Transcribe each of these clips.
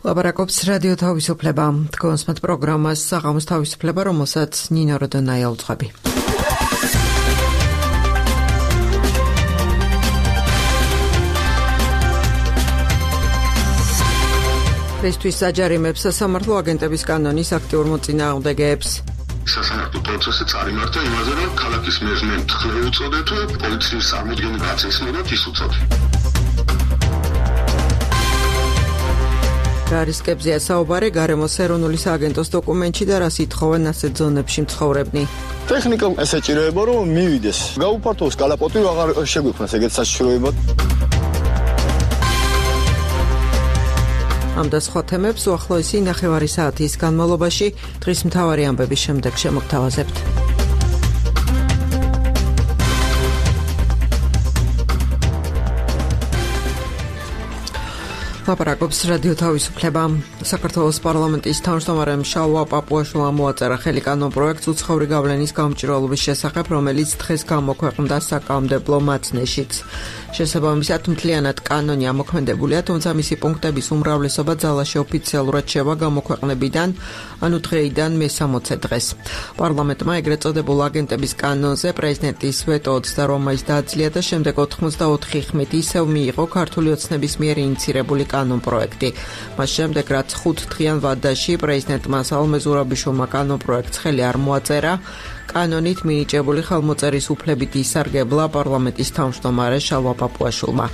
ლაპარაკობს რადიო თავისუფლება. თქვენს პროგრამას საღამოს თავისუფლება, რომელსაც ნინო როდონაია უძღვები. პრესთვის საჯარიმებს სასამართლო აგენტების კანონის აქტიურ მოწინააღმდეგეებს. სასამართლო პროცესი წარიმართა იმაზე, რომ ქალაქის მერს მემთხრე უწოდეთ, პოლიციის წარმოდგენა გაწესნებათ ის უწოდეთ. გარისკებზეა საუბარი გარემოს ეროვნული სააგენტოს დოკუმენტში და რას ითხოვენ ასეთ ზონებში მცხოვრებნი. ტექნიკა ესეჭიროება რომ მივიდეს. გაუფართოვოს კალაპოტი აღარ შეგვიქმნას ეგეთ საშიშროებად. ამ და სხვა თემებს უახლოესი ნახევარი საათის განმავლობაში დღის მთავარი ამბების შემდეგ შემოგთავაზებთ. ლაპარაკობს რადიო თავისუფლება. საქართველოს პარლამენტის თავმჯდომარემ შალვა პაპუაშვილმა მოაწერა ხელი კანონპროექტს უცხოური გავლენის გამჭვირვალობის შესახებ, რომელიც დღეს გამოქვეყნდა საკანონმდებლო მაცნეშიც. შესაბამისად, მთლიანად კანონი ამოქმედებულია, თუმცა მისი პუნქტების უმრავლესობა ძალაში ოფიციალურად შევა გამოქვეყნებიდან, ანუ დღეიდან მე-60 დღეს. პარლამენტმა ეგრეთ წოდებულ აგენტების კანონზე პრეზიდენტის ვეტო 22 მაისს დაძლია და შემდეგ 84 ხმით ისევ მიიღო ქართული ოცნების მიერ ინიცირებული კანონპროექტი. მას შემდეგ, რაც 5 დღიან ვადაში პრეზიდენტმა სალომე ზურაბიშვილმა კანონპროექტს ხელი არ მოაწერა, კანონით მინიჭებული ხელმოწერის უფლებით ისარგებლა პარლამენტის თავმჯდომარე შალვა პაპუაშვილმა.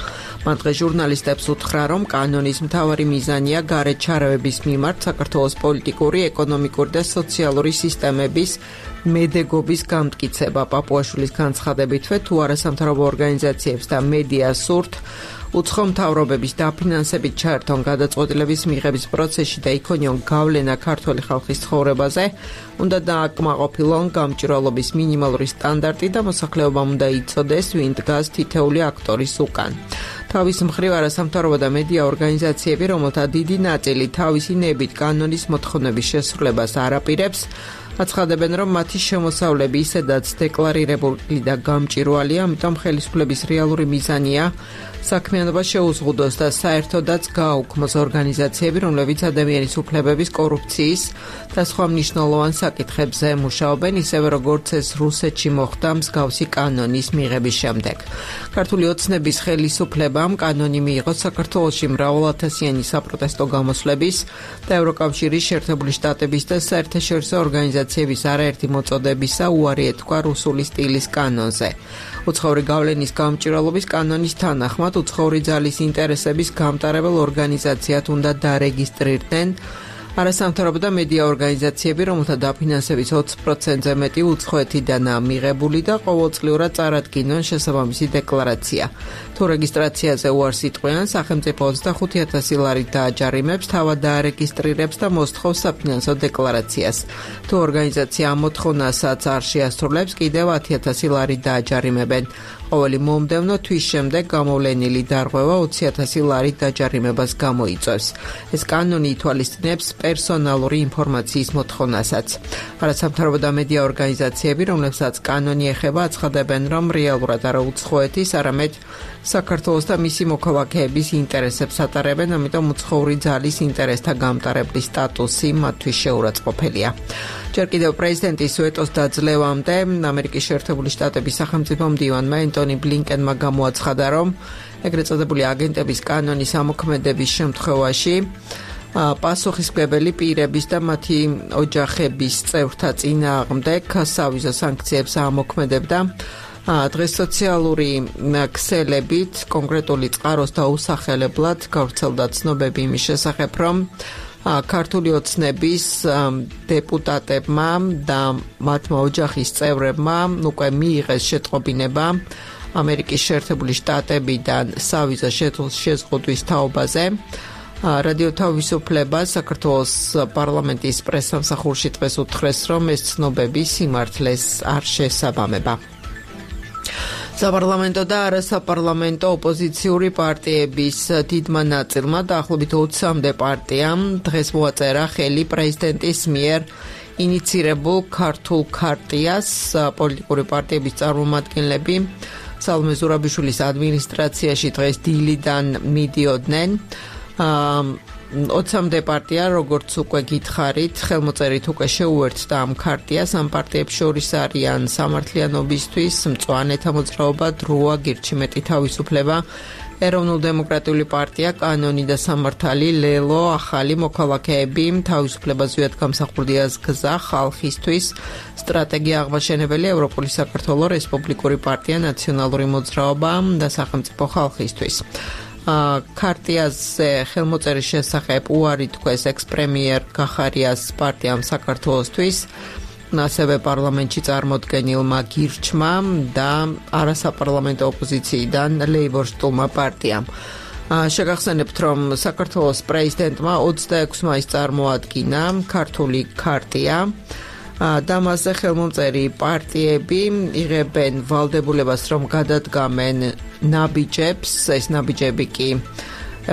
მან დღეს ჟურნალისტებს უთხრა, რომ კანონის მთავარი მიზანია გარეთ ჩარევების მიმართ საქართველოს პოლიტიკური, ეკონომიკური და სოციალური სისტემების მედეგობის გამტკიცება. პაპუაშვილის განცხადებითვე, თუ არასამთავრობო ორგანიზაციებს და მედიას სურთ უცხო მთავრობების დაფინანსებით ჩაერთონ გადაწყვეტილების მიღების პროცესში და იქონიონ გავლენა ქართველი ხალხის ცხოვრებაზე, უნდა დააკმაყოფილონ გამჭვირვალობის მინიმალური სტანდარტი და მოსახლეობამ უნდა იცოდეს, ვინ დგას თითეული აქტორის უკან. თავის მხრივ არასამთავრობო და მედია ორგანიზაციები, რომელთა დიდი ნაწილი თავისი ნებით კანონის მოთხოვნების შესრულებას არ აპირებს, აცხადებენ, რომ მათი შემოსავლები ისედაც დეკლარირებული და გამჭვირვალეა, ამიტომ ხელისუფლების რეალური მიზანია საქმიანობა შეუზღუდოს და საერთოდაც გააუქმოს ორგანიზაციები, რომლებიც ადამიანის უფლებების, კორუფციის და სხვა მნიშვნელოვან საკითხებზე მუშაობენ, ისევე როგორც ეს რუსეთში მოხდა მსგავსი კანონის მიღების შემდეგ. ქართული ოცნების ხელისუფლებამ კანონი მიიღო საქართველოში მრავალათასიანი საპროტესტო გამოსვლების და ევროკავშირის, შეერთებული შტატების და საერთაშორისო ორგანიზაციების არაერთი მოწოდებისა უარი ეთქვა რუსული სტილის კანონზე. უცხოური გავლენის გამჭვირვალობის კანონის თანახმად უცხოური ძალის ინტერესების გამტარებელ ორგანიზაციად უნდა დარეგისტრირდნენ არასამთავრობო და მედია ორგანიზაციები, რომელთა დაფინანსების 20%-ზე მეტი უცხოეთიდანაა მიღებული და ყოველწლიურად წარადგინონ შესაბამისი დეკლარაცია. თუ რეგისტრაციაზე უარს იტყვიან, სახელმწიფო 25,000 ლარით დააჯარიმებს, თავად დაარეგისტრირებს და მოსთხოვს საფინანსო დეკლარაციას. თუ ორგანიზაცია ამ მოთხოვნასაც არ შეასრულებს, კიდევ 10,000 ლარით დააჯარიმებენ. ყოველი მომდევნო თვის შემდეგ გამოვლენილი დარღვევა 20,000 ლარით დაჯარიმებას გამოიწვევს. ეს კანონი ითვალისწინებს პერსონალური ინფორმაციის მოთხოვნასაც. არასამთავრობო და მედია ორგანიზაციები, რომლებსაც კანონი ეხება, აცხადებენ, რომ რეალურად არა უცხოეთის, არამედ საქართველოს და მისი მოქალაქეების ინტერესებს ატარებენ, ამიტომ უცხოური ძალის ინტერესთა გამტარებლის სტატუსი მათთვის შეურაცხყოფელია. ჯერ კიდევ პრეზიდენტის ვეტოს დაძლევამდე ამერიკის შეერთებული შტატების სახელმწიფო მდივანმა ენტონი ბლინკენმა გამოაცხადა, რომ ეგრეთ წოდებული აგენტების კანონის ამოქმედების შემთხვევაში პასუხისმგებელი პირების და მათი ოჯახების წევრთა წინააღმდეგ სავიზო სანქციებს ამოქმედებდა. დღეს სოციალური ქსელებით კონკრეტული წყაროს დაუსახელებლად გავრცელდა ცნობები იმის შესახებ, რომ ქართული ოცნების დეპუტატებმა და მათმა ოჯახის წევრებმა უკვე მიიღეს შეტყობინება ამერიკის შეერთებული შტატებიდან სავიზო შეზღუდვის თაობაზე. რადიო თავისუფლება საქართველოს პარლამენტის პრესსამსახურში დღეს უთხრეს, რომ ეს ცნობები სიმართლეს არ შესაბამება. საპარლამენტო და არასაპარლამენტო ოპოზიციური პარტიების დიდმა ნაწილმა დაახლოებით 20-მდე პარტიამ დღეს მოაწერა ხელი პრეზიდენტის მიერ ინიცირებულ ქართულ ქარტიას. პოლიტიკური პარტიების წარმომადგენლები სალომე ზურაბიშვილის ადმინისტრაციაში დღეს დილიდან მიდიოდნენ. 20-მდე პარტია, როგორც უკვე გითხარით, ხელმოწერით უკვე შეუერთდა ამ ქარტიას. ამ პარტიებს შორის არიან სამართლიანობისთვის, მწვანეთა მოძრაობა, დროა, გირჩი მეტი თავისუფლება, ეროვნულ-დემოკრატიული პარტია, კანონი და სამართალი, ლელო, ახალი მოქალაქეები, თავისუფლება ზვიად გამსახურდიას გზა, ხალხისთვის, სტრატეგია აღმაშენებელი, ევროპული საქართველო, რესპუბლიკური პარტია, ნაციონალური მოძრაობა და სახელმწიფო ხალხისთვის. ქარტიაზე ხელმოწერის შესახებ უარი თქვეს ექს-პრემიერ გახარიას პარტიამ საქართველოსთვის, ასევე პარლამენტში წარმოდგენილმა გირჩმა და არასაპარლამენტო ოპოზიციიდან ლეიბორისტულმა პარტიამ. შეგახსენებთ, რომ საქართველოს პრეზიდენტმა 26 მაისს წარმოადგინა ქართული ქარტია და მასზე ხელმომწერი პარტიები იღებენ ვალდებულებას, რომ გადადგამენ ნაბიჯებს, ეს ნაბიჯები კი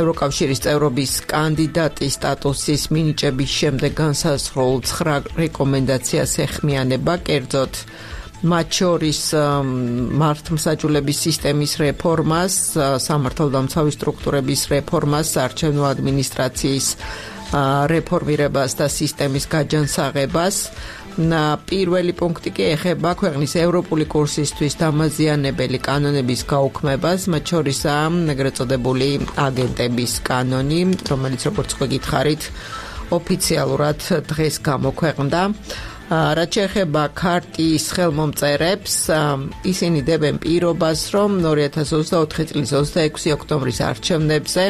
ევროკავშირის წევრობის კანდიდატის სტატუსის მინიჭების შემდეგ განსაზღვრულ 9 რეკომენდაციას ეხმიანება, კერძოდ მათ შორის მართლმსაჯულების სისტემის რეფორმას, სამართალდამცავი სტრუქტურების რეფორმას, საარჩევნო ადმინისტრაციის რეფორმირებას და სისტემის გაჯანსაღებას. პირველი პუნქტი კი ეხება ქვეყნის ევროპული კურსისთვის დამაზიანებელი კანონების გაუქმებას, მათ შორისაა ეგრეთ წოდებული აგენტების კანონი, რომელიც როგორც გითხარით, ოფიციალურად დღეს გამოქვეყნდა. რაც შეეხება ქარტიის ხელმომწერებს, ისინი დებენ პირობას, რომ 2024 წლის 26 ოქტომბრის არჩევნებზე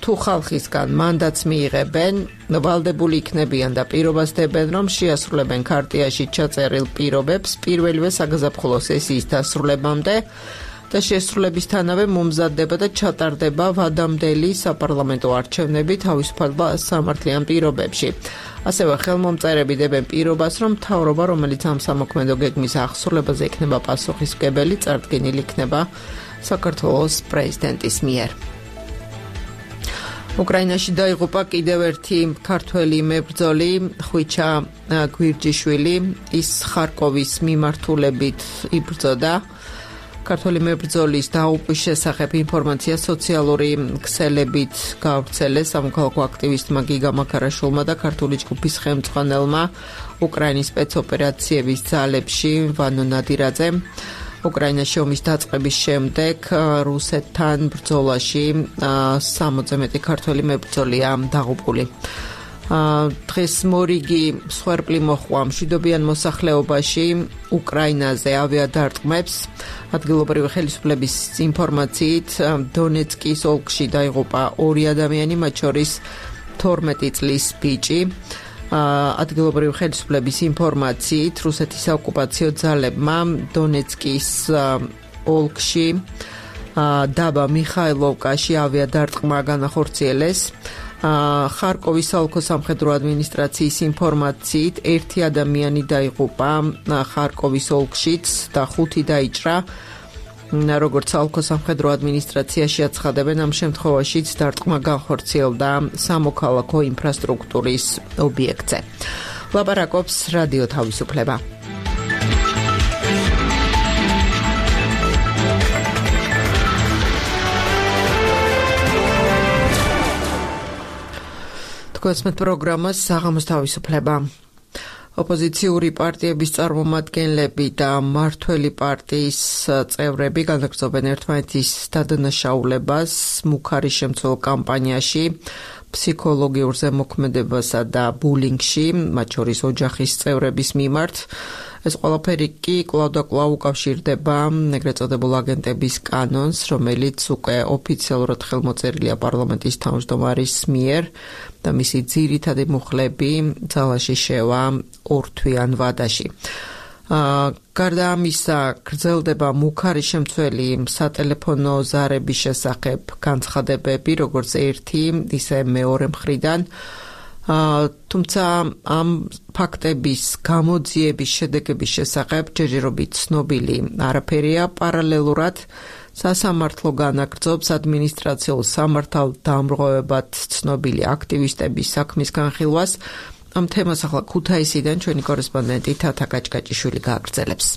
თუ ხალხისგან მანდატს მიიღებენ, ვალდებული იქნებიან და პირობას დებენ, რომ შეასრულებენ ქარტიაში ჩაწერილ პირობებს პირველივე საგაზაფხულო სესიის დასრულებამდე და შესრულებისთანავე მომზადდება და ჩატარდება ვადამდელი საპარლამენტო არჩევნები თავისუფალ და სამართლიან პირობებში. ასევე ხელმომწერები დებენ პირობას, რომ მთავრობა, რომელიც ამ სამოქმედო გეგმის აღსრულებაზე იქნება პასუხისმგებელი, წარდგენილი იქნება საქართველოს პრეზიდენტის მიერ. უკრაინაში დაიღუპა კიდევ ერთი ქართველი მებრძოლი, ხვიჩა გვირჯიშვილი, ის ხარკოვის მიმართულებით იბრძოდა. ქართველი მებრძოლის დაუყვის შესახებ ინფორმაცია სოციალური ქსელებით გავრცელეს სამოქალაქო აქტივისტმა გიგა მაქარაშვილმა და ქართული ჯგუფის ხელმძღვანელმა უკრაინის სპეცოპერაციების ძალებში ვანო ნადირაძემ. უკრაინაში ომის დაწყების შემდეგ რუსეთთან ბრძოლაში 60-ზე მეტი ქართველი მებრძოლია დაღუპული. დღეს მორიგი მსხვერპლი მოჰყვა მშვიდობიან მოსახლეობაში უკრაინაზე ავიადარტყმებს. ადგილობრივი ხელისუფლების ინფორმაციით დონეცკის ოლქში დაიღუპა 2 ადამიანი, მათ შორის 12 წლის ბიჭი. ადგილობრივი ხელისუფლების ინფორმაციით რუსეთის საოკუპაციო ძალებმა დონეცკის ოლქში დაბა მიხაილოვკაში ავიადარტყმა განახორციელეს. ხარკოვის საოლქო სამხედრო ადმინისტრაციის ინფორმაციით 1 ადამიანი დაიღუპა ხარკოვის ოლქშიც და 5 დაიჭრა. როგორც საოლქო სამხედრო ადმინისტრაციაში აცხადებენ, ამ შემთხვევაშიც დარტყმა განხორციელდა სამოქალაქო ინფრასტრუქტურის ობიექტზე. ლაპარაკობს რადიო თავისუფლება. თქვენს პროგრამას საღამოს თავისუფლება. ოპოზიციური პარტიების წარმომადგენლები და მმართველი პარტიის წევრები განაგრძობენ ერთმანეთის დადანაშაულებას მუქარი შემცველ კამპანიაში, ფსიქოლოგიურ ზემოქმედებასა და ბულინგში, მათ შორის ოჯახის წევრების მიმართ. ეს ყველაფერი კი კვლავ და კვლავ უკავშირდება ეგრეთ წოდებულ აგენტების კანონს, რომელიც უკვე ოფიციალურად ხელმოწერილია პარლამენტის თავმჯდომარის მიერ და მისი ძირითადი მუხლები ძალაში შევა 2 თვიან ვადაში. გარდა ამისა, გრძელდება მუქარი შემცველი სატელეფონო ზარების შესახებ განცხადებები, როგორც ერთი, ისე მეორე მხრიდან. თუმცა ამ ფაქტების გამოძიების შედეგების შესახებ ჯერჯერობით ცნობილი არაფერია. პარალელურად სასამართლო განაგრძობს ადმინისტრაციულ სამართალდამრღვევებად ცნობილი აქტივისტების საქმის განხილვას. ამ თემას ახლა ქუთაისიდან ჩვენი კორესპონდენტი თათა კაჭკაჭიშვილი გააგრძელებს.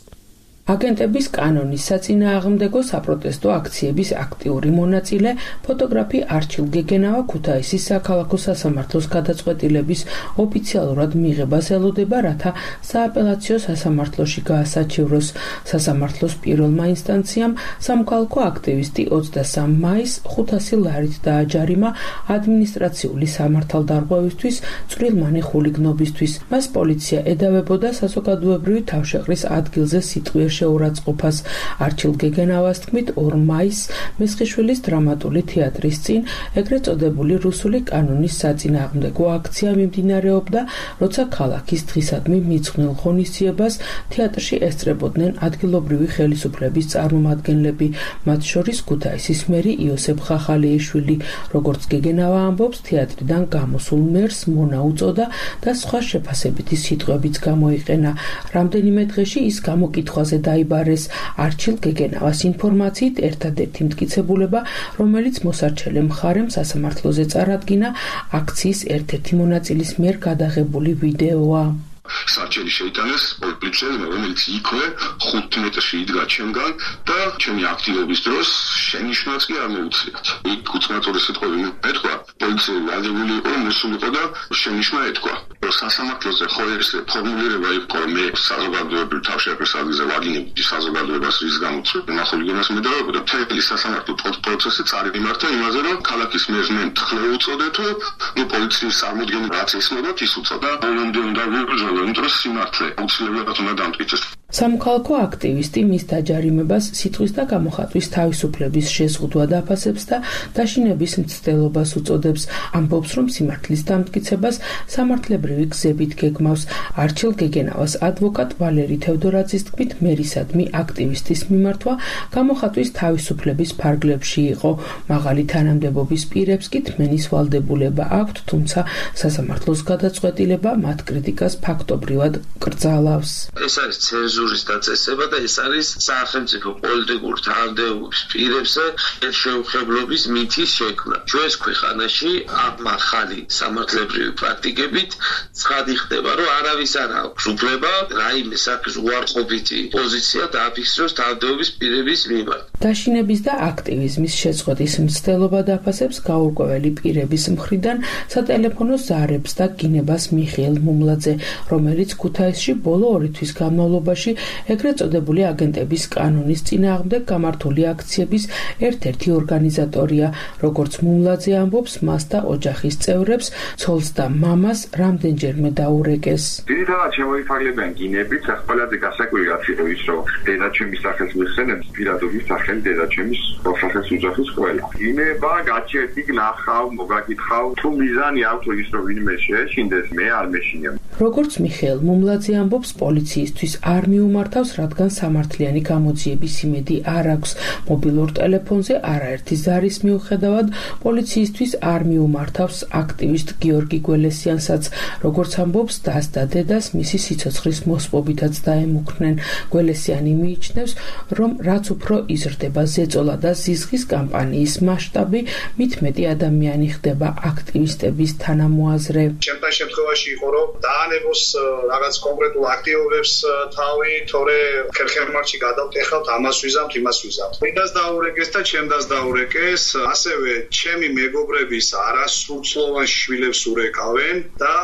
აგენტების კანონის საწინააღმდეგო საპროტესტო აქციების აქტიური მონაწილე ფოტოგრაფი არჩილ გეგენავა ქუთაისის საქალაქო სასამართლოს გადაწყვეტილების ოფიციალურად მიღებას ელოდება, რათა სააპელაციო სასამართლოში გაასაჩივროს. სასამართლოს პირველმა ინსტანციამ სამოქალაქო აქტივისტი 23 მაისს 500 ლარით დააჯარიმა ადმინისტრაციული სამართალდარღვევისთვის წვრილმანი ხულიგნობისთვის. მას პოლიცია ედავებოდა საზოგადოებრივი თავშეყრის ადგილზე სიტყვიერ შეურაცხყოფას. არჩილ გეგენავას თქმით 2 მაისს მესხიშვილის დრამატული თეატრის წინ ეგრეთ წოდებული რუსული კანონის საწინააღმდეგო აქცია მიმდინარეობდა, როცა ქალაქის დღისადმი მიძღვნილ ღონისძიებას თეატრში ესწრებოდნენ ადგილობრივი ხელისუფლების წარმომადგენლები, მათ შორის ქუთაისის მერი იოსებ ხახალეიშვილი. როგორც გეგენავა ამბობს, თეატრიდან გამოსულ მერს მონა უწოდა და სხვა შეფასებითი სიტყვებიც გამოიყენა. რამდენიმე დღეში ის გამოკითხვაზე დაიბარეს. არჩილ გეგენავას ინფორმაციით ერთადერთი მტკიცებულება, რომელიც მოსარჩელე მხარემ სასამართლოზე წარადგინა, აქციის ერთ-ერთი მონაწილის მიერ გადაღებული ვიდეოა. სარჩელი შეიტანეს პოლიციელმა, რომელიც იქვე 5 მეტრში იდგა ჩემგან და ჩემი აქტივობის დროს შენიშვნაც კი არ მოუწიათ. იქ უცნაური სიტყვები მეთქვა, პოლიციელი აგებული იყო, მოსულიყო და შენიშვნა ეთქვა. სასამართლოზე ხო ეს ფორმულირება იყო, მე საზოგადოებრივ თავშეყრის ადგილზე ვაგინებდი საზოგადოებას, რის გამოც ნახულიგონას მედავებოდა. მთელი სასამართლო პროცესი წარიმართა იმაზე, რომ ქალაქის მერს მე მთხრე უწოდე თუ პოლიციის წარმოდგენა რაც ისმოდათ, ის უწოდა ბოლომდე უნდა ვიბრძოლო. სამოქალაქო აქტივისტი მის დაჯარიმებას სიტყვის და გამოხატვის თავისუფლების შეზღუდვა დაფასებს და დაშინების მცდელობას უწოდებს. ამბობს, რომ სიმართლის დამტკიცებას სამართლებრივი გზებით გეგმავს. არჩილ გეგენავას ადვოკატ ვალერი თევდორაძის თქმით, მერისადმი აქტივისტის მიმართვა გამოხატვის თავისუფლების ფარგლებში იყო. მაღალი თანამდებობის პირებს კი თმენის ვალდებულება აქვთ, თუმცა სასამართლოს გადაწყვეტილება მათ კრიტიკას ფაქტობრივად კრძალავს. ეს არის ცენზურის დაწესება და ეს არის სახელმწიფო პოლიტიკურ თანამდებობის პირებზე ხელშეუხებლობის მითის შექმნა. ჩვენს ქვეყანაში ამ ახალი სამართლებრივი პრაქტიკებით ცხადი ხდება, რომ არავის არ აქვს უფლება რაიმე საქმის უარყოფითი პოზიცია დააფიქსიროს თანამდებობის პირების მიმართ. დაშინების და აქტივიზმის შეწყვეტის მცდელობა დაფასებს გაურკვეველი პირების მხრიდან სატელეფონო ზარებს და გინებას მიხეილ მუმლაძე, რომელიც ქუთაისში ბოლო 2 თვის განმავლობაში ეგრეთ წოდებული აგენტების კანონის წინააღმდეგ გამართული აქციების ერთ-ერთი ორგანიზატორია. როგორც მუმლაძე ამბობს, მას და ოჯახის წევრებს, ცოლს და მამას რამდენჯერმე დაურეკეს. ძირითადად შემოიფარგლებიან გინებით, ყველაზე გასაკვირი რაც იყო ის, რომ დედაჩემის სახელს მიხსენებს, პირადობის სახელი დედაჩემის პროფესორის ოჯახის ყველა. გინება გაჩერდი გნახავ, მოგაკითხავ, თუ მიზანი აქვს ის, რომ ვინმე შეეშინდეს, მე არ მეშინია. როგორც მიხეილ მუმლაძე ამბობს, პოლიციისთვის არ მიუმართავს, რადგან სამართლიანი გამოძიების იმედი არ აქვს. მობილურ ტელეფონზე არაერთი ზარის მიუხედავად პოლიციისთვის არ მიუმართავს აქტივისტ გიორგი გველესიანსაც. როგორც ამბობს, დას და დედას მისი სიცოცხლის მოსპობითაც დაემუქრნენ. გველესიანი მიიჩნევს, რომ რაც უფრო იზრდება ზეწოლა და ზიზღის კამპანიის მასშტაბი, მით მეტი ადამიანი ხდება აქტივისტების თანამოაზრე. ჩემთან შემთხვევაში იყო, რომ დაანებოს რაღაც კონკრეტულ აქტივობებს თავი, თორე ხერხემარში გადავტეხავთ, ამას ვიზამთ, იმას ვიზამთ. ვინდას დაურეკეს და ჩემდას დაურეკეს, ასევე ჩემი მეგობრების არასრულწლოვან შვილებს ურეკავენ და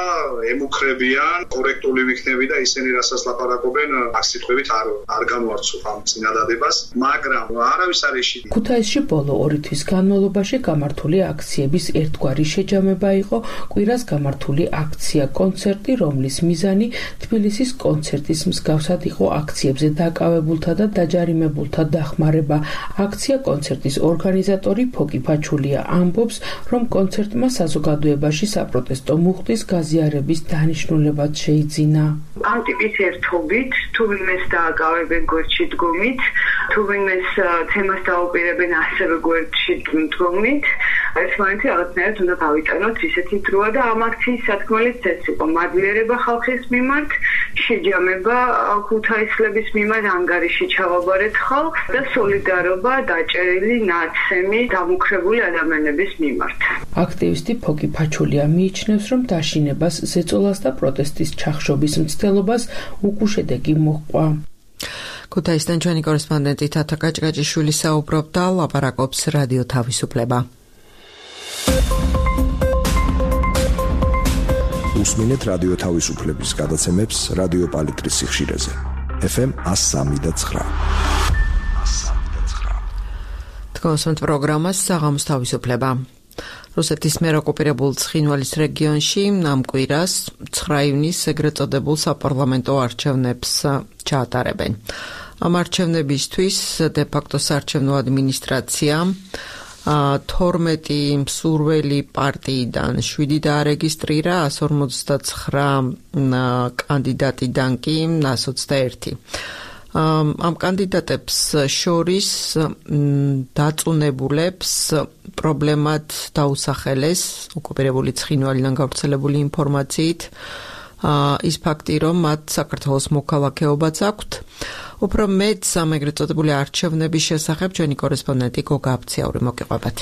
ემუქრებიან, კორექტული ვიქნები და ისინი რასაც ლაპარაკობენ, აქ სიტყვებით არ განვარცობ ამ წინადადებას, მაგრამ არავის არ ეშინია. ქუთაისში ბოლო 2 თვის განმავლობაში გამართული აქციების ერთგვარი შეჯამება იყო კვირას გამართული აქცია კონცერტი, რომლის მიზანი თბილისის კონცერტის მსგავსად იყო აქციებზე დაკავებულთა და დაჯარიმებულთა დახმარება. აქცია კონცერტის ორგანიზატორი ფოკი ფაჩულია ამბობს, რომ კონცერტმა საზოგადოებაში საპროტესტო მუხტის გაზიარების დანიშნულებაც შეიძინა. ამ ტიპის ერთობით, თუ ვინმეს დააკავებენ გვერდში დგომით, თუ ვინმეს თემას დაუპირებენ ასევე გვერდში დგომით, ერთმანეთი რაღაცნაირად უნდა გავიტანოთ ისეთი დროა და ამ აქციის სათქმელიც ეს იყო. მადლიერება ხალხის მიმართ, შეჯამება ქუთაისლების მიმართ, ანგარიში ჩავაბარეთ ხალხს და სოლიდარობა დაჭერილი ნაცემი დამუქრებული ადამიანების მიმართ. აქტივისტი ფოკი ფაჩულია მიიჩნევს, რომ დაშინებას, ზეწოლას და პროტესტის ჩახშობის მცდელობას უკუშედეგი მოჰყვა. ქუთაისიდან ჩვენი კორესპონდენტი თათა კაჭკაჭიშვილი საუბრობდა, ლაპარაკობს რადიო თავისუფლება. უსმინეთ რადიო თავისუფლების გადაცემებს რადიო პალიტრის სიხშირეზე. FM 103.9. თქვენს პროგრამას საღამოს თავისუფლება. რუსეთის მიერ ოკუპირებულ ცხინვალის რეგიონში ამ კვირას 9 ივნისს ეგრეთ წოდებულ საპარლამენტო არჩევნებს ჩაატარებენ. ამ არჩევნებისთვის დე-ფაქტო საარჩევნო ადმინისტრაცია 12 მსურველი პარტიიდან 7 დაარეგისტრირა, 159 კანდიდატიდან კი 121. ამ კანდიდატებს შორის დაწუნებულებს პრობლემად დაუსახელეს ოკუპირებული ცხინვალიდან გავრცელებული ინფორმაციით ის ფაქტი, რომ მათ საქართველოს მოქალაქეობაც აქვთ. უფრო მეტ ამ ეგრეთ წოდებული არჩევნების შესახებ ჩვენი კორესპონდენტი გოგა აბციაური მოგიყვებათ.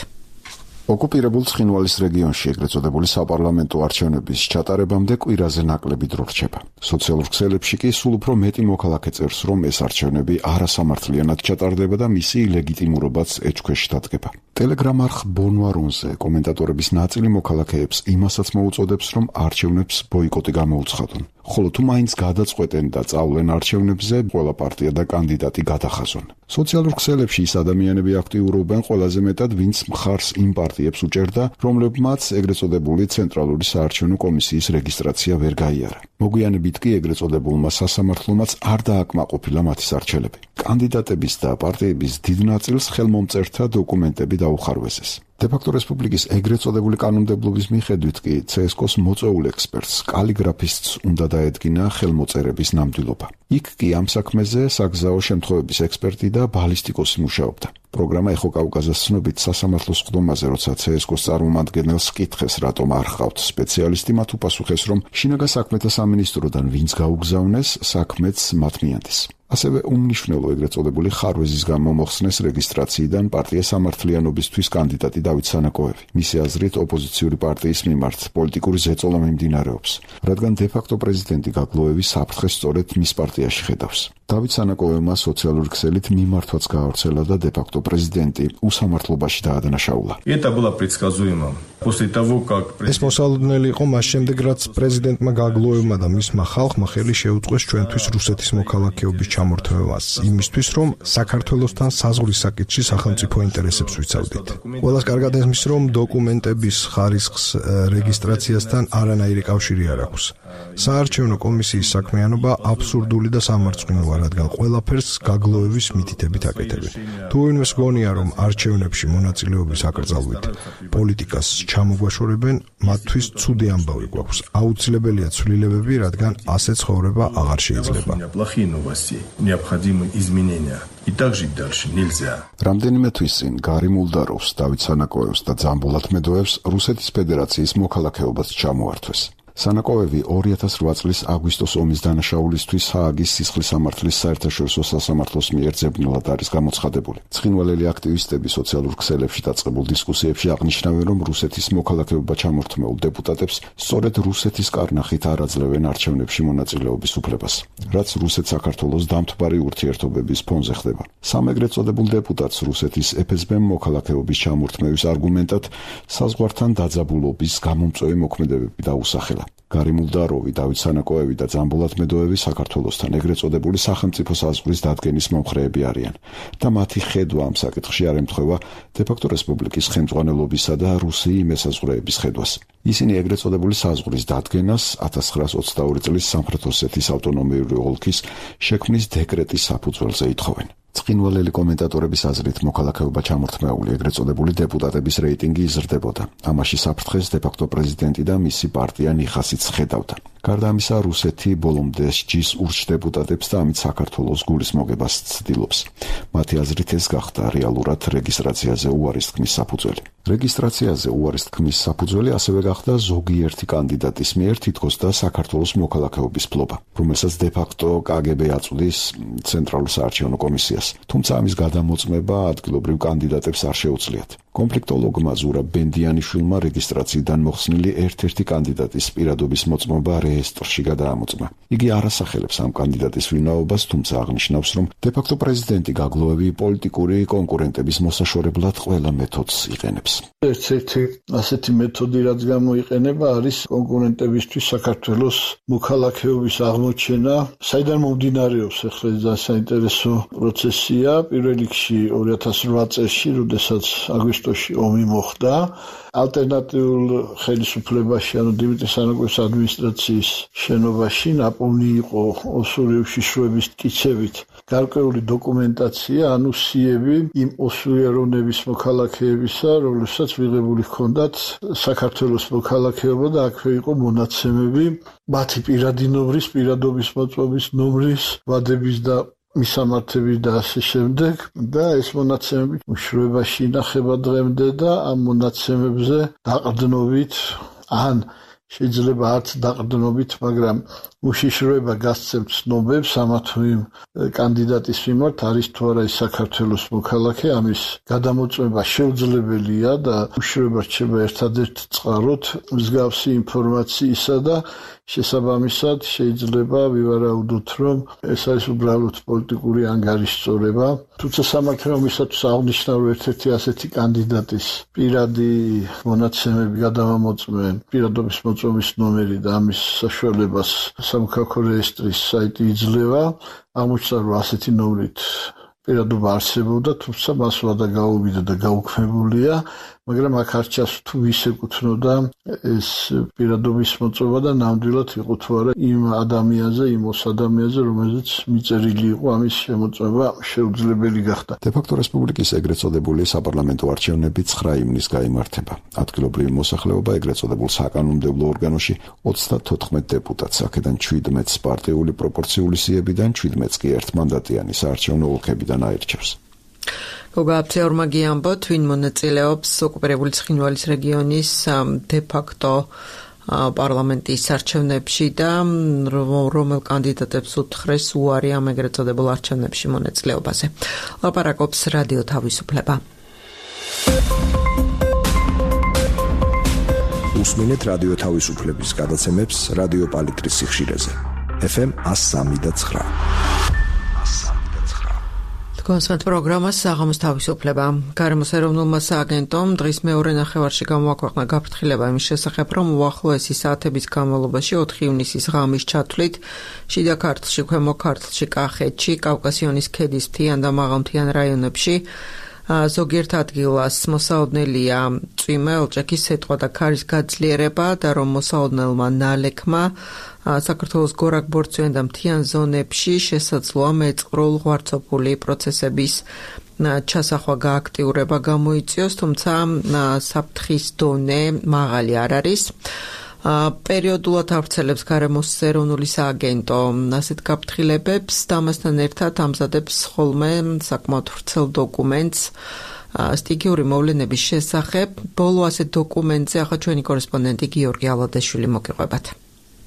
ოკუპირებულ ცხინვალის რეგიონში ეგრეთ წოდებული საპარლამენტო არჩევნების ჩატარებამდე კვირაზე ნაკლები დრო რჩება. სოციალურ ქსელებში კი სულ უფრო მეტი მოქალაქე წერს, რომ ეს არჩევნები არასამართლიანად ჩატარდება და მისი ლეგიტიმურობაც ეჭქვეშ დადგება. ტელეგრამ არხ ბონვარონზე კომენტატორების ნაწილი მოქალაქეებს იმასაც მოუწოდებს, რომ არჩევნებს ბოიკოტი გამოუცხადონ. ხოლო თუ მაინც გადაწყვეტენ და წავლენ არჩევნებზე, ყველა პარტია და კანდიდატი გადახაზონ. სოციალურ ქსელებში ის ადამიანები აქტიურობენ ყველაზე მეტად, ვინც მხარს იმ პარტიებს უჭერდა, რომლებმაც ეგრეთ წოდებული ცენტრალური საარჩევნო კომისიის რეგისტრაცია ვერ გაიარა. მოგვიანებით კი ეგრეთ წოდებულმა სასამართლომაც არ დააკმაყოფილა მათი სარჩელები. კანდიდატების და პარტიების დიდ ნაწილს ხელმომწერთა დოკუმენტები დაუხარვესეს. დე-ფაქტო რესპუბლიკის ეგრეთ წოდებული კანონმდებლობის მიხედვით კი CSKO-ს მოწვეულ ექსპერტს, კალიგრაფისტს უნდა დაედგინა ხელმოწერების ნამდვილობა. იქ კი ამ საქმეზე საგზაო შემთხვევების ექსპერტი და ბალისტიკოსი მუშაობდა. პროგრამა ეხო კავკაზას ცნობით სასამართლოს ხდომაზე, როცა CSKO-ს წარმომადგენელს კითხეს, რატომ არ ხავთ სპეციალისტი, მათ უპასუხეს, რომ შინაგან საქმეთა სამინისტროდან ვინც გაუგზავნეს, საქმეც მათ მიანდეს. ასევე უმნიშვნელო ეგრეთ წოდებული ხარვეზის გამო მოხსნეს რეგისტრაციიდან პარტია სამართლიანობისთვის კანდიდატი დავით სანაკოევი. მისი აზრით ოპოზიციური პარტიის მიმართ პოლიტიკური ზეწოლა მიმდინარეობს, რადგან დე-ფაქტო პრეზიდენტი გაგლოევი საფრთხეს სწორედ მის პარტიაში ხედავს. დავით სანაკოევმა სოციალური ქსელით მიმართვაც გაავრცელა და დე-ფაქტო პრეზიდენტი უსამართლობაში დაადანაშაულა. ეს მოსალოდნელი იყო მას შემდეგ, რაც პრეზიდენტმა გაგლოევმა და მისმა ხალხმა ხელი შეუწყეს ჩვენთვის რუსეთის მოქალაქეობის ჩამორთმევას, იმისთვის, რომ საქართველოსთან საზღვრის საკითხში სახელმწიფო ინტერესებს ვიცავდით. ყველას კარგად ესმის, რომ დოკუმენტების ხარისხს რეგისტრაციასთან არანაირი კავშირი არ აქვს. საარჩევნო კომისიის საქმიანობა აბსურდული და სამარცხვინოა, რადგან ყველაფერს გაგლოევის მითითებით აკეთებენ. თუ ვინმეს გონია, რომ არჩევნებში მონაწილეობის აკრძალვით პოლიტიკას ჩამოგვაშორებენ, მათთვის ცუდი ამბავი გვაქვს. აუცილებელია ცვლილებები, რადგან ასე ცხოვრება აღარ შეიძლება. რამდენიმე თვის წინ გარი მულდაროვს, დავით სანაკოევს და ძამბულ ათმედოევს რუსეთის ფედერაციის მოქალაქეობაც ჩამოართვეს. სანაკოევი 2008 წლის აგვისტოს ომის დანაშაულისთვის ჰააგის სისხლის სამართლის საერთაშორისო სასამართლოს მიერ ძებნულად არის გამოცხადებული. ცხინვალელი აქტივისტები სოციალურ ქსელებში დაწყებულ დისკუსიებში აღნიშნავენ, რომ რუსეთის მოქალაქეობა ჩამორთმეულ დეპუტატებს სწორედ რუსეთის კარნახით არ აძლევენ არჩევნებში მონაწილეობის უფლებას, რაც რუსეთ-საქართველოს დამთბარი ურთიერთობების ფონზე ხდება. სამ ეგრეთ წოდებულ დეპუტატს რუსეთის FSB-მ მოქალაქეობის ჩამორთმევის არგუმენტად საზღვართან დაძაბულობის გამომწვევი მოქმედებები დაუსახელა. გარი მულდაროვი, დავით სანაკოევი და ძამბულ ათმედოევი საქართველოსთან ეგრეთ წოდებული სახელმწიფო საზღვრის დადგენის მომხრეები არიან და მათი ხედვა ამ საკითხში არ ემთხვევა დე-ფაქტო რესპუბლიკის ხელმძღვანელობისა და რუსი მესაზღვრეების ხედვას. ისინი ეგრეთ წოდებული საზღვრის დადგენას 1922 წლის სამხრეთ ოსეთის ავტონომიური ოლქის შექმნის დეკრეტის საფუძველზე ითხოვენ. ცხინვალელი კომენტატორების აზრით მოქალაქეობა ჩამორთმეული ეგრეთ წოდებული დეპუტატების რეიტინგი იზრდებოდა. ამაში საფრთხეს დე-ფაქტო პრეზიდენტი და მისი პარტია ნიხასიც ხედავდა. გარდა ამისა, რუსეთი ბოლომდე სჯის ურჩ დეპუტატებს და ამით საქართველოს გულის მოგებას ცდილობს. მათი აზრით ეს გახდა რეალურად რეგისტრაციაზე უარის თქმის საფუძველი. რეგისტრაციაზე უარის თქმის საფუძველი ასევე გახდა ზოგიერთი კანდიდატის მიერ თითქოს და საქართველოს მოქალაქეობის ფლობა, რომელსაც დე-ფაქტო KGB აწვდის ცენტრალურ საარჩევნო კომისიას. თუმცა ამის გადამოწმება ადგილობრივ კანდიდატებს არ შეუძლიათ. კონფლიქტოლოგმა ზურაბ ბენდიანიშვილმა რეგისტრაციიდან მოხსნილი ერთ-ერთი კანდიდატის პირადობის მოწმობა რეესტრში გადაამოწმა. იგი არ ასახელებს ამ კანდიდატის ვინაობას, თუმცა აღნიშნავს, რომ დე-ფაქტო პრეზიდენტი გაგლოევი პოლიტიკური კონკურენტების მოსაშორებლად ყველა მეთოდს იყენებს. ერთ-ერთი ასეთი მეთოდი, რაც გამოიყენება, არის კონკურენტებისთვის საქართველოს მოქალაქეობის აღმოჩენა, საიდან მომდინარეობს ახლა ეს საინტერესო პროცესია. პირველ რიგში 2008 წელს, როდესაც აგვისტოში ომი მოხდა, ალტერნატიულ ხელისუფლებაში, ანუ დიმიტრი სანაკოვის ადმინისტრაციის შენობაში ნაპოვნი იყო ოსური უშიშროების მტკიცებით გარკვეული დოკუმენტაცია, ანუ სიები იმ ოსურიანების მოქალაქეებისა, რომლებსაც მიღებული ჰქონდათ საქართველოს მოქალაქეობა და აქვე იყო მონაცემები მათი პირადი ნომრის, პირადობის მოწმობის ნომრის, ვადების და მისამართების და ასე შემდეგ და ეს მონაცემები უშიშროებაში ინახება დღემდე და ამ მონაცემებზე დაყრდნობით ან შეიძლება არც დაყრდნობით, მაგრამ უშიშროება გასცემთ ცნობებს ამა თუ იმ კანდიდატის მიმართ არის თუ არა ის საქართველოს მოქალაქე, ამის გადამოწმება შეუძლებელია და უშიშროება რჩება ერთადერთ წყაროდ მსგავსი ინფორმაციისა და შესაბამისად შეიძლება ვივარაუდოთ, რომ ეს არის უბრალოდ პოლიტიკური ანგარიშწორება. თუმცა სამართლებრივისათვის აღნიშნა, რომ ერთ-ერთი ასეთი კანდიდატის პირადი მონაცემები გადამამოწმენ პირადობის მოწმობის ნომერი და ამის საშუალებას სამოქალაქო რეესტრის საიტი იძლევა. აღმოჩნდა, რომ ასეთი ნომრით პირადობა არსებობდა, თუმცა მას ვადა გაუვიდა და გაუქმებულია, მაგრამ აქ არ ჩანს თუ ვის ეკუთვნოდა ეს პირადობის მოწმობა და ნამდვილად იყო თუ არა იმ ადამიანზე, იმ ოს ადამიანზე, რომელზეც მიწერილი იყო ამის შემოწმება შეუძლებელი გახდა. დე-ფაქტო რესპუბლიკის ეგრეთ წოდებული საპარლამენტო არჩევნები 9 ივნისს გაიმართება. ადგილობრივი მოსახლეობა ეგრეთ წოდებულ საკანონმდებლო ორგანოში 34 დეპუტატს, აქედან 17-ს პარტიული პროპორციული სიებიდან, 17-ს კი ერთმანდატიანი საარჩევნო ოლქებიდან აირჩევს. გოგაფცეორმა გიამბოთ, ვინ მონაწილეობს ოკუპირებული ცხინვალის რეგიონის დე-ფაქტო პარლამენტის არჩევნებში და რომელ კანდიდატებს უთხრეს უარი ამ ეგრეთ წოდებულ არჩევნებში მონაწილეობაზე. ლაპარაკობს რადიო თავისუფლება. უსმინეთ რადიო თავისუფლების გადაცემებს რადიო პალიტრის სიხშირეზე. FM 103.9. კონსერტ პროგრამას საღამოს თავისუფლება. გარემოს ეროვნულმა სააგენტომ დღის მეორე ნახევარში გამოაქვეყნა გაფრთხილება იმის შესახებ, რომ უახლოესი საათების განმავლობაში 4 ივნისის ღამის ჩათვლით შიდა ქართლში, ქვემო ქართლში, კახეთში, კავკასიონის ქედის მთიან და მაღალმთიან რაიონებში ზოგიერთ ადგილას მოსაოდნელია წვიმა, ელჭექის სეტყვა და ქარის გაძლიერება და რომ მოსაოდნელმა ნალექმა საქართველოს გორაკ-ბორცვიან და მთიან ზონებში შესაძლოა მეწყრულ ღვარცოფული პროცესების ჩასახვა გააქტიურება გამოიწვიოს, თუმცა საფრთხის დონე მაღალი არ არის. პერიოდულად ავრცელებს გარემოს ეროვნული სააგენტო ასეთ გაფრთხილებებს და ამასთან ერთად ამზადებს ხოლმე საკმაოდ ვრცელ დოკუმენტს სტიქიური მოვლენების შესახებ. ბოლო ასეთ დოკუმენტზე ახლა ჩვენი კორესპონდენტი გიორგი ალადეშვილი მოგიყვებათ.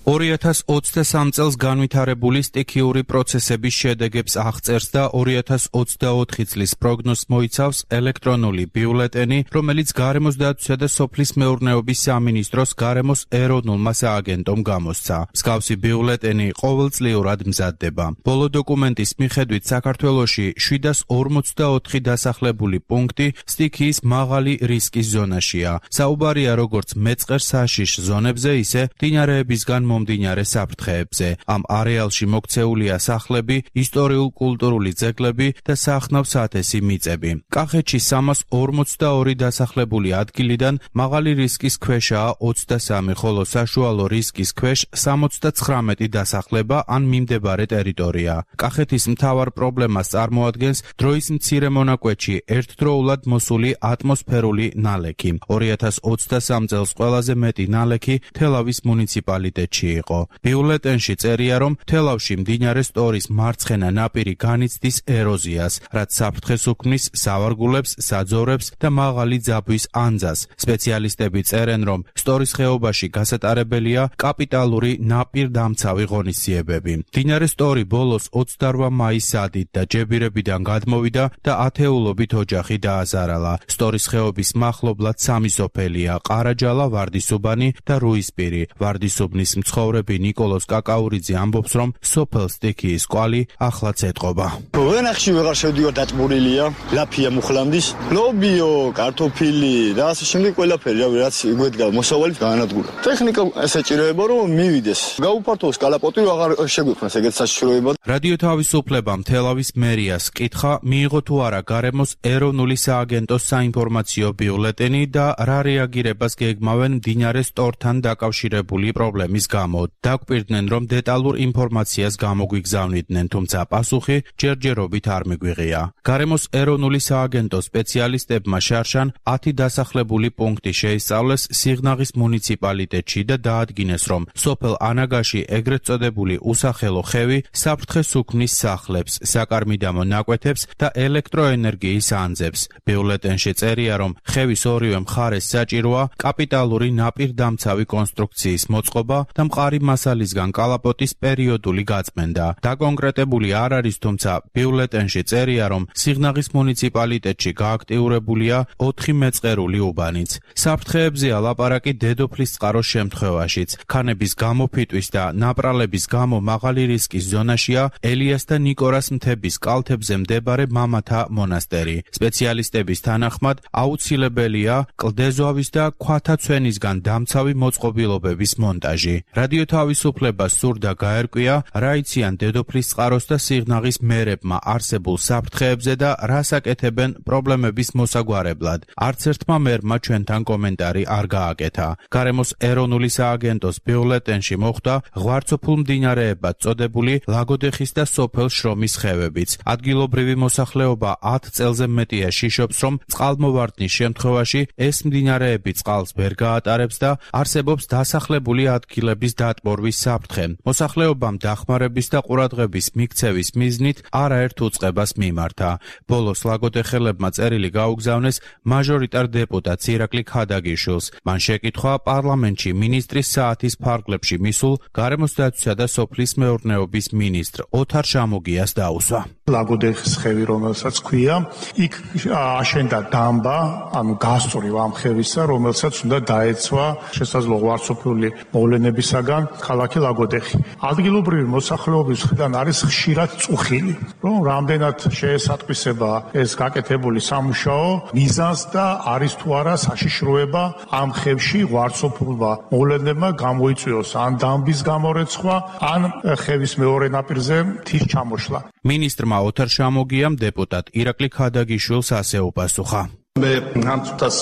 2023 წელს განვითარებული სტიქიური პროცესების შედეგებს აღწერს და 2024 წლის პროგნოზს მოიცავს ელექტრონული ბიულეტენი, რომელიც გარემოს დაცვისა და სოფლის მეურნეობის სამინისტროს გარემოს ეროვნულმა სააგენტომ გამოსცა. მსგავსი ბიულეტენი ყოველწლიურად მზადდება. ბოლო დოკუმენტის მიხედვით საქართველოში 744 დასახლებული პუნქტი სტიქიის მაღალი რისკის ზონაშია. საუბარია როგორც მეწყერ საშიშ ზონებზე, ისე მდინარეებისგან მომდინარე საფრთხეებზე. ამ არეალში მოქცეულია სახლები, ისტორიულ-კულტურული ძეგლები და სახნავ საათესი მიწები. კახეთში 342 დასახლებული ადგილიდან მაღალი რისკის ქვეშაა 23, ხოლო საშუალო რისკის ქვეშ 79 დასახლება ან მიმდებარე ტერიტორია. კახეთის მთავარ პრობლემას წარმოადგენს დროის მცირე მონაკვეთში ერთდროულად მოსული ატმოსფერული ნალექი. 2023 წელს ყველაზე მეტი ნალექი თელავის მუნიციპალიტეტში მიწაში იყო. ბიულეტენში წერია, რომ თელავში მდინარე სტორის მარცხენა ნაპირი განიცდის ეროზიას, რაც საფრთხეს უქმნის სავარგულებს, საძოვრებს და მაღალი ძაბვის ანძას. სპეციალისტები წერენ, რომ სტორის ხეობაში გასატარებელია კაპიტალური ნაპირდამცავი ღონისძიებები. მდინარე სტორი ბოლოს 28 მაისს ადით და ჯებირებიდან გადმოვიდა და ათეულობით ოჯახი დააზარალა. სტორის ხეობის მახლობლად 3 სოფელია: ყარაჯალა, ვარდისუბანი და რუისპირი. ვარდისუბნის მცხოვრები ნიკოლოზ კაკაურიძე ამბობს, რომ სოფელ სტიქიის კვალი ახლაც ეტყობა. ვენახში ვეღარ შევდივარ, დაწმურილია, ლაფია მუხლამდის, ლობიო, კარტოფილი და ასე შემდეგ ყველაფერი, რაც იგვედგა მოსავალით გაანადგურა. ტექნიკა ესეჭიროება, რომ მივიდეს. გაუფართოვოს კალაპოტი, აღარ შეგვიქმნას ეგეთ საშიშროება. რადიო თავისუფლებამ თელავის მერიას კითხა, მიიღო თუ არა გარემოს ეროვნული სააგენტოს საინფორმაციო ბიულეტენი და რა რეაგირებას გეგმავენ მდინარე სტორთან დაკავშირებული პრობლემის გამო. დაგვპირდნენ, რომ დეტალურ ინფორმაციას გამოგვიგზავნიდნენ, თუმცა პასუხი ჯერჯერობით არ მიგვიღია. გარემოს ეროვნული სააგენტოს სპეციალისტებმა შარშან 10 დასახლებული პუნქტი შეისწავლეს სიღნაღის მუნიციპალიტეტში და დაადგინეს, რომ სოფელ ანაგაში ეგრეთ წოდებული უსახელო ხევი საფრთხეს უქმნის სახლებს, საკარმიდამო ნაკვეთებს და ელექტროენერგიის ანძებს. ბიულეტენში წერია, რომ ხევის ორივე მხარეს საჭიროა კაპიტალური ნაპირდამცავი კონსტრუქციის მოწყობა და მყარი მასალისგან კალაპოტის პერიოდული გაწმენდა. დაკონკრეტებული არ არის, თუმცა ბიულეტენში წერია, რომ სიღნაღის მუნიციპალიტეტში გააქტიურებულია 4 მეწყერული უბანიც. საფრთხეებზეა ლაპარაკი დედოფლის წყაროს შემთხვევაშიც. ქანების გამოფიტვის და ნაპრალების გამო მაღალი რისკის ზონაშია ელიას და ნიკორას მთების კალთებზე მდებარე მამათა მონასტერი. სპეციალისტების თანახმად აუცილებელია კლდეზოავის და ქვათა ცვენისგან დამცავი მოწყობილობების მონტაჟი. რადიო თავისუფლებას სურდა გაერკვია, რა იციან დედოფლის წყაროს და სიღნაღის მერებმა არსებულ საფრთხეებზე და რას აკეთებენ პრობლემების მოსაგვარებლად. არც ერთმა მერმა ჩვენთან კომენტარი არ გააკეთა. გარემოს ეროვნული სააგენტოს ბიულეტენში მოხვდა ღვარცოფულ მდინარეებად წოდებული ლაგოდეხის და სოფელ შრომის ხევებიც. ადგილობრივი მოსახლეობა 10 წელზე მეტია შიშობს, რომ წყალმოვარდნის შემთხვევაში ეს მდინარეები წყალს ვერ გაატარებს და არსებობს დასახლებული ადგილების დატბორვის საფრთხე. მოსახლეობამ დახმარების და ყურადღების მიქცევის მიზნით არაერთ უწყებას მიმართა. ბოლოს ლაგოდეხელებმა წერილი გაუგზავნეს მაჟორიტარ დეპუტატ ირაკლი ქადაგიშვილს. მან შეკითხვა პარლამენტში მინისტრის საათის ფარგლებში მისულ გარემოს დაცვისა და სოფლის მეურნეობის მინისტრ ოთარ შამოგიას დაუსვა. ლაგოდეხის ხევი, რომელსაც ქვია, იქ აშენდა დამბა, ანუ გასწვრივ ამ ხევისა, რომელსაც უნდა დაეცვა შესაძლო ღვარცოფული მოვლენებისაგან ქალაქი ლაგოდეხი. ადგილობრივი მოსახლეობის მხრიდან არის ხშირად წუხილი, რომ რამდენად შეესატყვისება ეს გაკეთებული სამუშაო მიზანს და არის თუ არა საშიშროება ამ ხევში ღვარცოფულმა მოვლენებმა გამოიწვიოს ან დამბის გამორეცხვა, ან ხევის მეორე ნაპირზე მთის ჩამოშლა. მინისტრმა ოთარ შამოგიამ დეპუტატ ირაკლი ქადაგიშვილს ასე უპასუხა. მე ამ წუთას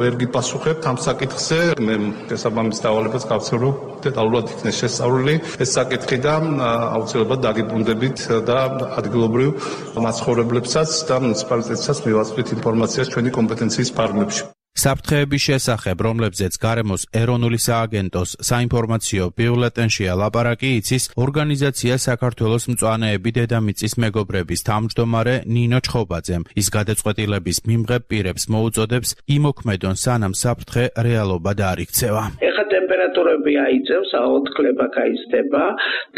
ვერ გიპასუხებთ ამ საკითხზე. მე შესაბამის დავალებას გავცემ, რომ დეტალურად იქნეს შესწავლილი ეს საკითხი და აუცილებლად დაგიბრუნდებით და ადგილობრივ მაცხოვრებლებსაც და მუნიციპალიტეტსაც მივაწვდით ინფორმაციას ჩვენი კომპეტენციის ფარგლებში. საფრთხეების შესახებ, რომლებზეც გარემოს ეროვნული სააგენტოს საინფორმაციო ბიულეტენშია ლაპარაკი, იცის ორგანიზაცია საქართველოს მწვანეები დედამიწის მეგობრების თავმჯდომარე ნინო ჩხობაძემ. ის გადაწყვეტილების მიმღებ პირებს მოუწოდებს იმოქმედონ, სანამ საფრთხე რეალობად არ იქცევა. ეხლა ტემპერატურები აიწევს, აოთქლება გაიზრდება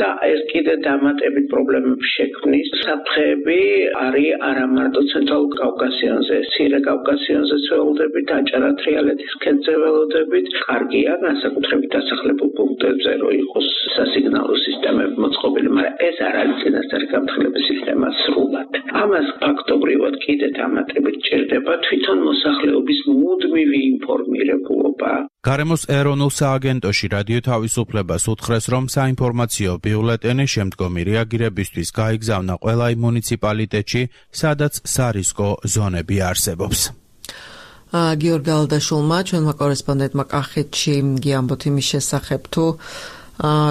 და ეს კიდე დამატებით პრობლემებს შექმნის. საფრთხეები არის არა მარტო ცენტრალურ კავკასიონზე, მცირე კავკასიონზეც ველოდებით, აჭარა-თრიალეთის ქედზე ველოდებით. კარგია განსაკუთრებით დასახლებულ პუნქტებზე, რომ იყოს სასიგნალო სისტემები მოწყობილი, მაგრამ ეს არ არის წინასწარი გამთხილების სისტემა სრულად. ამას ფაქტობრივად კიდე დამატებით ჭირდება თვითონ მოსახლეობის მუდმივი ინფორმირებულობა. გარემოს ეროვნულ სააგენტოში რადიო თავისუფლებას უთხრეს, რომ საინფორმაციო ბიულეტენი შემდგომი რეაგირებისთვის გაიგზავნა ყველა მუნიციპალიტეტში, სადაც სარისკო ზონები არსებობს. გიორგი გალდაშვილმა, ჩვენმა კორესპონდენტმა კახეთში გიამბოთ იმის შესახებ, თუ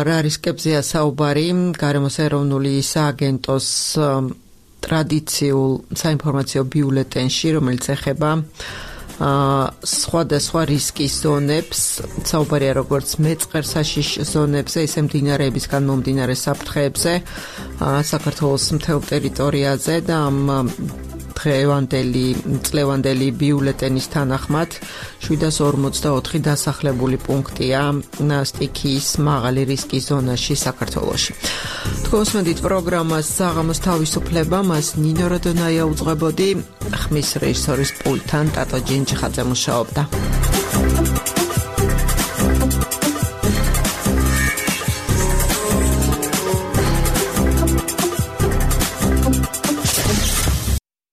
რა რისკებზეა საუბარი გარემოს ეროვნული სააგენტოს ტრადიციულ საინფორმაციო ბიულეტენში, რომელიც ეხება სხვადასხვა რისკის ზონებს, საუბარია როგორც მეწყერსაშიშ ზონებზე, ისე მდინარეებისგან მომდინარე საფრთხეებზე, საქართველოს მთელ ტერიტორიაზე და ამ წლევანდელი ბიულეტენის თანახმად 744 დასახლებული პუნქტია სტიქიის მაღალი რისკის ზონაში საქართველოში. თქვენსმენდით პროგრამას საღამოს თავისუფლება, მას ნინო როდონაია უძღვებოდი, ხმის რეჟისორის პულტთან ტატო ჯინჯხაძე მუშაობდა.